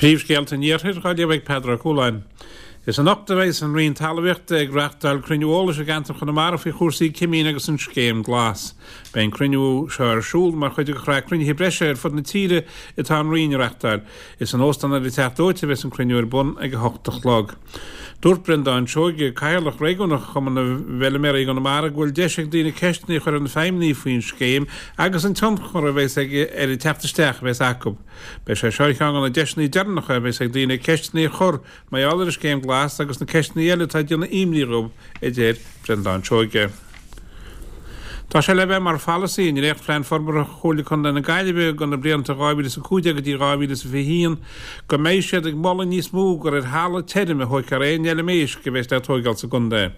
Príomhscéalta an Iarthair á léamh ag Peadar Ó Cualáin. Is anocht a bheidhs an Roinn Talmhaíochta ag reachtáil cruinniú eolais i gceantar Chonamara faoi chúrsaí cimín agus an Scéim Glas. Beidh an cruinniú seo ar siúl mar chuid de shraith cruinnithe breise ar fud na tíre atá an Roinn a reachtáil. Is in Óstán ar an Teach Dóite a bheas an cruinniú ar bun ag 8 a chlog. Dúirt Breandán Seoige, Cathaoirleach Réigiúnach Chumann na bhFeiliméaraí i gConamara go bhfuil deis ag daoine ceisteanna a chur ar na feidhmeannaigh faoin scéim agus an tionchar a bheas aige ar an teacht isteach a bheas acu. Beidh sé seo ar cheann de na deiseanna deireanacha a bheas ag daoine ceisteanna a chur mar gheall ar an Scéim Glas agus na ceisteanna eile atá ag déanamh imní dhóibh, a deir Breandán Seoige. Tá sé le bheith mar pholasaí i ndréacht-Phlean Forbartha Chomhairle Contae na Gaillimhe do na blianta 2015 go dtí 2021 go mbeidh siad ag moladh níos mó gur ar thalamh tirim a thóigfear aon fheilm éisc a bheas le tóigeáil sa gcontae.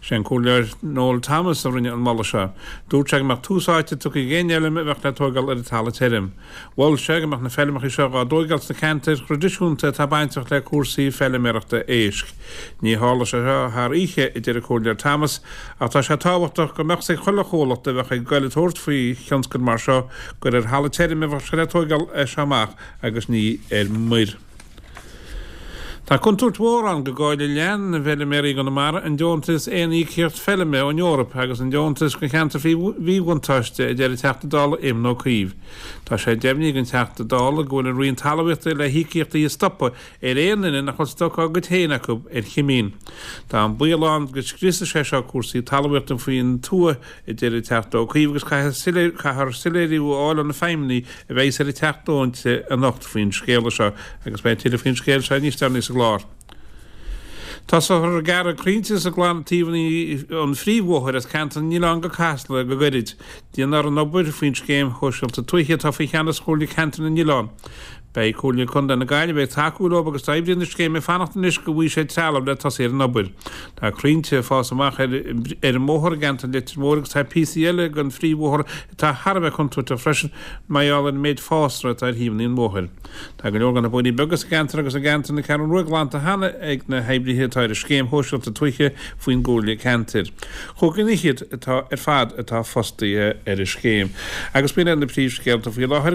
Sé an Comhairleoir Noel Thomas a rinne an moladh seo. Dúirt sé go mbeadh tús áite tugtha ag aon fheilm a bheadh le tóigeáil ar an talamh tirim. Mhol sé go mbeadh na feilmeacha seo dhá dtóigeáil sna ceantair thraidisiúnta atá bainteach le cúrsaí feiliméarachta éisc. Ní tharlóidh sé seo thar oíche, a deir an Comhairleoir Thomas, ach tá sé tábhachtach go mbeadh 's ag chuile chomhlacht a bheadh ag goil ag tabhairt faoi thionscal mar seo gur ar thalamh tirim a bheadh sé le tóigeáil as seo amach agus ní ar muir. Tá contúirt mhór ann go gcaillfidh leath na bhfeiliméaraí i gConamara an deontas aon íocaíocht feilme ón Eoraip agus an deontas do cheantair faoi mhíbhuntáiste, a deir an Teachta Dála Éamon Ó Cuív. Tá sé deimhnithe ag an Teachta Dála go bhfuil an Roinn Talmhaíochta le híocaíochtaí a stopadh ar aon duine nach bhfuil stoc dá gcuid féin acu ar chimín. Tá an baol ann go scriosfaidh sé seo cúrsaí talmhaíochta faoin tuath a deir an Teachta Ó Cuív agus caithfear soiléiriú a fháil ó na feidhmeannaigh a bheidhs ar an Teach Dóite anocht faoin scéala seo agus beidh tuilleadh faoin scéal seo níos deireanaí sa gclár. Tosófar ag gearradh crainnte sa gclann taobhanna an phríomhbhóthair as Ceantar na nOileán go Casla go gairid. Déanfar an obair faoin Scéim Shóisialta Tuaithe atá faoi cheannas Chomhairle Ceantar na nOileán. Beidh Comhairle Contae na Gaillimhe ag tacú leo agus tá oibrithe na scéime ag fanacht anois go bhfaighidh siad trealamh le tosaí ar an obair. Tá crainnte ag fás amach ar an mbóthar i gceantar Leitir Móir agus tá píosaí eile den phríomhbhóthar atá thar a bheith contúirteach freisin mar gheall ar an méid fásra atá ar thaobhanna an bhóthair. Tá go leor de na bóithrí beaga sa gceantar agus i gceantar na Ceathrún Rua glanta cheana ag na hoibrithe atá ar an scéim shóisialta tuaithe faoin gComhairle Ceantair. Chúig dhuine fhichead atá ar fad atá fostaithe ar an scéim. Agus b'in iad na príomhscéalta faoi láthair.